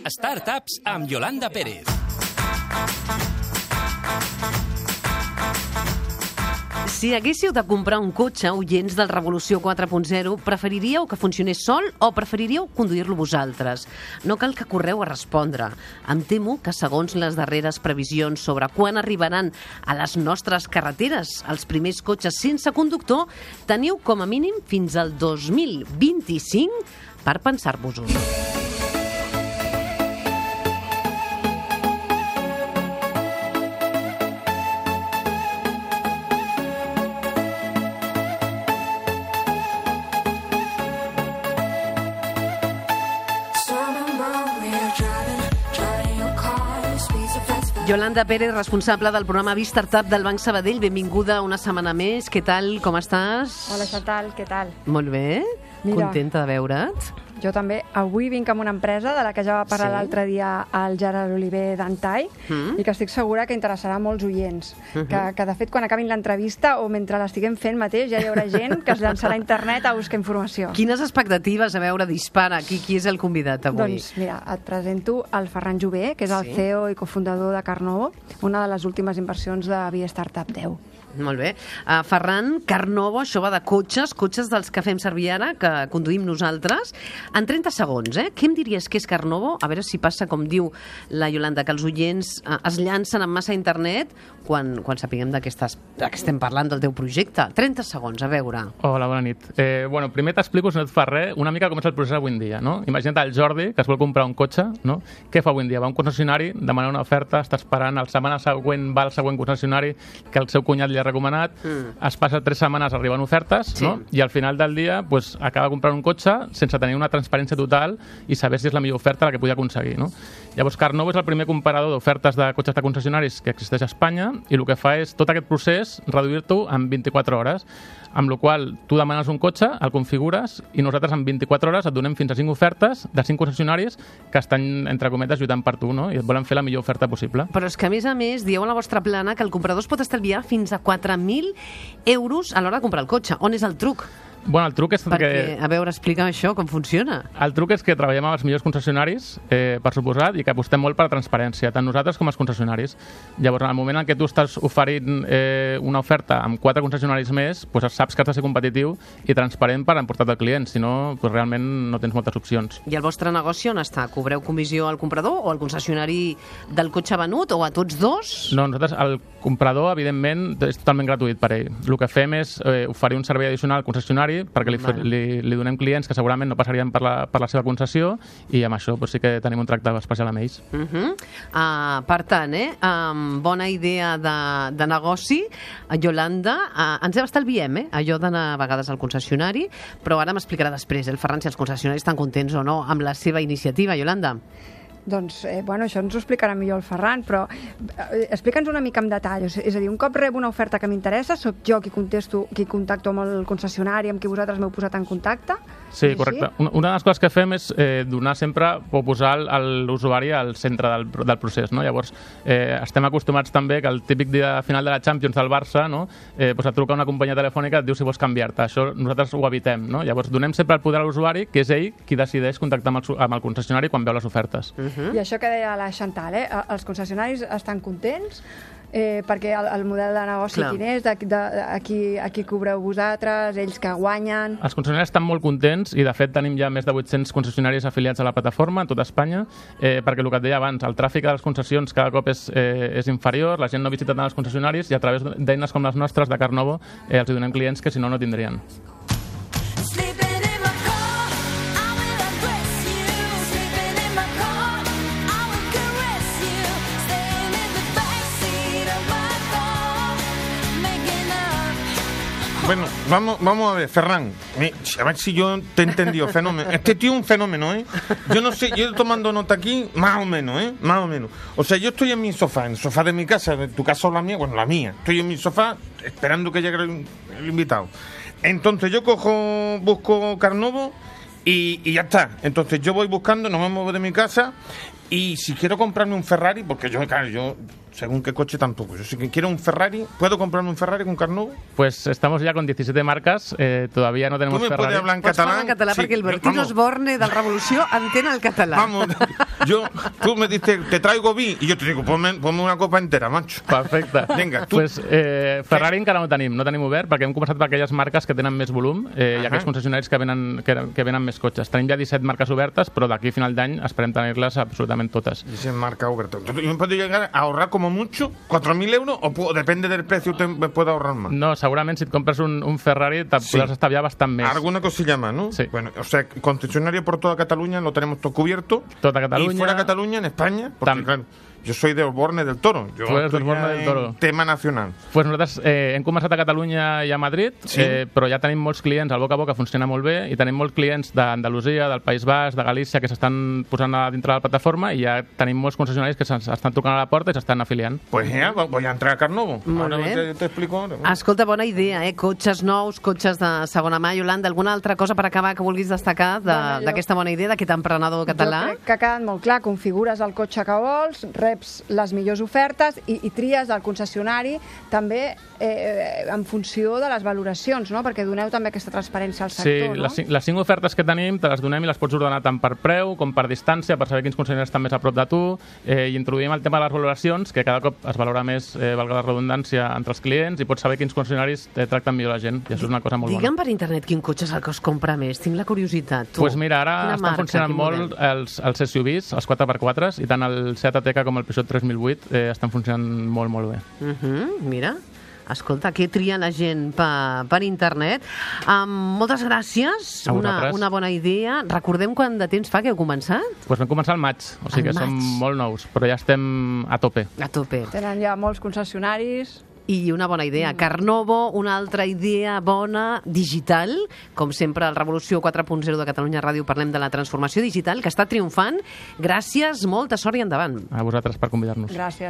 Startups amb Yolanda Pérez. Si haguéssiu de comprar un cotxe, oients del Revolució 4.0, preferiríeu que funcionés sol o preferiríeu conduir-lo vosaltres? No cal que correu a respondre. Em temo que, segons les darreres previsions sobre quan arribaran a les nostres carreteres els primers cotxes sense conductor, teniu com a mínim fins al 2025 per pensar-vos-ho. Yolanda Pérez, responsable del programa Startup del Banc Sabadell. Benvinguda una setmana més. Què tal? Com estàs? Hola, Chantal, què tal? Molt bé. Mira, contenta de veure't. Jo també. Avui vinc amb una empresa de la que ja va parlar l'altre dia el Gerard Oliver d'Antai i que estic segura que interessarà molts oients. Que de fet, quan acabin l'entrevista o mentre l'estiguem fent mateix, ja hi haurà gent que es llançarà a internet a buscar informació. Quines expectatives, a veure, dispara? Qui és el convidat avui? Doncs mira, et presento el Ferran Jové, que és el CEO i cofundador de Carnovo, una de les últimes inversions de Via Startup 10. Molt bé. Ferran, Carnovo, això va de cotxes dels que fem servir ara, que conduïm nosaltres. En 30 segons, què em diries que és Carnovo? A veure si passa, com diu la Yolanda, que els oients es llancen en massa a internet quan sapiguem de què estem parlant del teu projecte. 30 segons, a veure. Hola, bona nit. Primer t'explico, si no et fa res, una mica com és el procés avui en dia. No? Imagina't el Jordi, que es vol comprar un cotxe. No? Què fa avui en dia? Va a un concessionari, demana una oferta, està esperant, la setmana següent va al següent concessionari que el seu cunyat li ha recomanat, es passa 3 setmanes arribant ofertes, no? I al final del dia acaba comprant un cotxe sense tenir una transparència total i saber si és la millor oferta la que podia aconseguir. No? Llavors, Carnovo és el primer comparador d'ofertes de cotxes de concessionaris que existeix a Espanya i el que fa és tot aquest procés reduir-t'ho en 24 hores, amb la qual tu demanes un cotxe, el configures i nosaltres en 24 hores et donem fins a 5 ofertes de 5 concessionaris que estan, entre cometes, lluitant per tu, no? I et volen fer la millor oferta possible. Però és que, a més, dieu a la vostra plana que el comprador es pot estalviar fins a 4.000 euros a l'hora de comprar el cotxe. On és el truc? Bueno, el truc és perquè, a veure, explica això, com funciona. El truc és que treballem amb els millors concessionaris, per suposat, i que apostem molt per la transparència, tant nosaltres com els concessionaris. Llavors, en el moment en què tu estàs oferint una oferta amb 4 concessionaris més, saps que has de ser competitiu i transparent per emportar-te al client, si no, realment no tens moltes opcions. I el vostre negoci on està? Cobreu comissió al comprador o al concessionari del cotxe venut o a tots dos? No, nosaltres, el comprador, evidentment, és totalment gratuït per ell. El que fem és oferir un servei addicional al concessionari perquè li donem clients que segurament no passarien per la seva concessió i amb això sí que tenim un tracte especial amb ells. Per tant, bona idea de negoci. Yolanda, ens estalviem allò d'anar a vegades al concessionari, però ara m'explicarà després el Ferran si els concessionaris estan contents o no amb la seva iniciativa. Yolanda. Doncs, això ens ho explicarà millor el Ferran, però explica'ns una mica en detall. És a dir, un cop rebo una oferta que m'interessa, soc jo qui contacto amb el concessionari amb qui vosaltres m'heu posat en contacte? Sí, correcte. Una de les coses que fem és donar sempre o posar l'usuari al centre del procés. No? Llavors, estem acostumats també que el típic dia final de la Champions del Barça et truca una companyia telefònica i et diu si vols canviar-te. Això nosaltres ho evitem. No? Llavors, donem sempre el poder a l'usuari, que és ell qui decideix contactar amb el concessionari quan veu les ofertes. I això que deia la Chantal, els concessionaris estan contents perquè el model de negoci quin és, a qui cobreu vosaltres, ells que guanyen... Els concessionaris estan molt contents i de fet tenim ja més de 800 concessionaris afiliats a la plataforma en tota Espanya perquè el que et deia abans, el tràfic de les concessions cada cop és inferior, la gent no visita tant els concessionaris i a través d'eines com les nostres de Carnovo els donem clients que si no tindrien. Bueno, vamos a ver, Ferran, a ver si yo te he entendido, fenómeno. Este tío es un fenómeno, ¿eh? Yo no sé, yo tomando nota aquí, más o menos, ¿eh? Más o menos. O sea, yo estoy en mi sofá, en el sofá de mi casa, de tu casa o la mía, bueno, la mía. Estoy en mi sofá esperando que llegue el invitado. Entonces yo busco Carnovo y ya está. Entonces yo voy buscando, nos vamos de mi casa Y si quiero comprarme un Ferrari, porque yo, claro, yo según qué coche tampoco. Yo si quiero un Ferrari, ¿puedo comprarme un Ferrari con Carnovo? Pues estamos ya con 17 marcas, todavía no tenemos ¿Tú me Ferrari. puedes hablar en Pots catalán? parlar en català Sí, perquè el yo- Bertino vamos. Osborne del Revolució entén el català. Vamos, tú me dices, te traigo vi, y yo te digo, ponme una copa entera, macho. Perfecte. Vinga, tu. Pues, Ferrari encara no tenim obert, perquè hem començat per aquelles marques que tenen més volum i aquells concessionaris que venen més cotxes. Tenim ja 17 marques obertes, però d'aquí a final d'any esperem tenir-les absolutament totes. Dice marca Uberto. Entonces, ¿yo me puedo llegar a ahorrar como mucho 4.000 euros o depende del precio me puedo ahorrar más? No, segurament si et compres un Ferrari te'n Sí. podràs estalviar bastant més. Alguna cosilla más, ¿no? Sí. Bueno, o sea, concesionario por toda Cataluña lo tenemos todo cubierto. Tota Catalunya. Y fuera de Cataluña, en España, porque claro, yo soy de Osborne del Toro. Yo Tú eres de estoy Osborne ya del en Toro. Tema nacional. Pues nosaltres hem començat a Catalunya i a Madrid, Sí. però ja tenim molts clients, el boca a boca funciona molt bé, i tenim molts clients d'Andalusia, del País Basc, de Galícia, que s'estan posant a dintre de la plataforma, i ja tenim molts concessionaris que s'estan trucant a la porta i s'estan afiliant. Pues ya, voy a entrar a Carnovo. Molt Ahora bé. te explico ahora. Escolta, bona idea, Cotxes nous, cotxes de segona mà. Yolanda, alguna altra cosa per acabar que vulguis destacar Bueno, jo- d'aquesta bona idea, d'aquest emprenedor català? Jo crec que ha quedat molt clar. Configures el cotxe que vols, reps les millors ofertes i tries el concessionari també en funció de les valoracions, no? Perquè doneu també aquesta transparència al sector, no? Les 5 ofertes que tenim te les donem i les pots ordenar tant per preu com per distància, per saber quins concessionaris estan més a prop de tu, i introduïm el tema de les valoracions, que cada cop es valora més, valga la redundància, entre els clients, i pots saber quins concessionaris tracten millor la gent, i això és una cosa molt Digue'm bona. per internet quin cotxe és el que es compra més. Tinc la curiositat. Tu. Pues mira, ara Quina estan marca, funcionant quin molt model? els SUVs, els 4x4, i tant el Seat Ateca com el Peugeot 3008 estan funcionant molt, molt bé. Mira, escolta, què tria la gent per internet. Moltes gràcies, A vosaltres. una bona idea. Recordem quant de temps fa que heu començat? Pues vam començar al maig, o sigui Al que som maig. molt nous, però ja estem a tope. A tope. Tenen ja molts concessionaris. I una bona idea. Carnovo, una altra idea bona, digital. Com sempre, al Revolució 4.0 de Catalunya Ràdio parlem de la transformació digital, que està triomfant. Gràcies, molta sort i endavant. A vosaltres per convidar-nos. Gràcies.